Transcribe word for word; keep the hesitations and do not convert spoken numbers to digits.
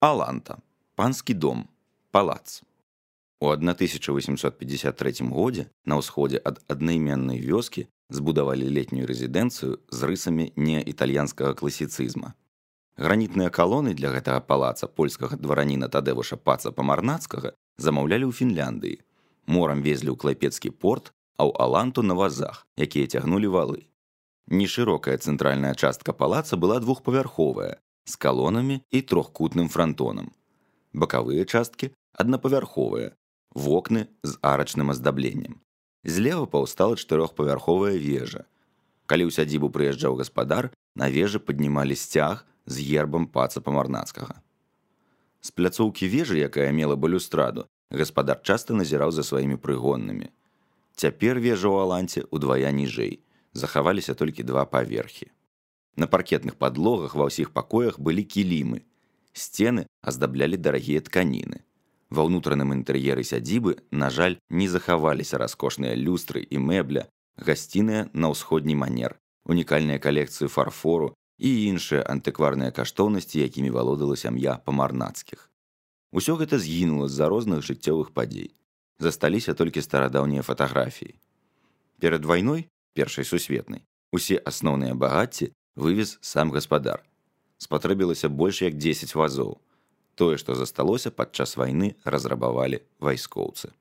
Аланта. Панскі дом. Палац. У тысяча восемьсот пятьдесят третьем годзе на ўсходзе ад аднайменнай вёскі збудавалі летнюю рэзідэнцыю з рысамі неітальянскага класіцызма. Гранітныя калоны для гэтага палаца польскага двараніна Тадэвуша Паца Памарнацкага замаўлялі ў Фінляндыі. Морам везлі ў клайпецкі порт, а ў Аланту на вазах, якія цягнулі валы. Нешырокая цэнтральная частка палаца была двухпавярховая, з калонамі і трохкутным франтонам. Бакавыя часткі аднапавярховыя, вокны з арачным аздабленнем. Злева паўстала чатырохпавярховая вежа. Калі ў сядзібу прыязджаў гаспадар, на вежы паднімалі сцяг з гербам Паца Памарнацкага. З пляцоўкі вежы, якая мела балюстраду, гаспадар часта назіраў за сваімі прыгоннымі. Цяпер вежа ў Аланце ўдвая ніжэй, захаваліся толькі два паверхі. На паркетных падлогах ва ўсіх пакоях былі кілімы. Сцены аздаблялі дарагія тканіны. Ва ўнутраным інтэр'еры сядзібы, на жаль, не захаваліся раскошныя люстры і мэбля, гасціныя на ўсходні манер, унікальныя калекцыі фарфору і іншыя антыкварныя каштоўнасці, якімі валодала сям'я Памарнацкіх. Усё гэта згінула з-за розных жыццёвых падзей. Засталіся толькі старадаўнія фатаграфіі. Перад вайной, першай сусветнай, усе асноўныя багацці вывез сам гаспадар. Спатрэбілася больш як дзесяць вазоў. Тое, што засталося падчас вайны, разрабавалі вайскоўцы.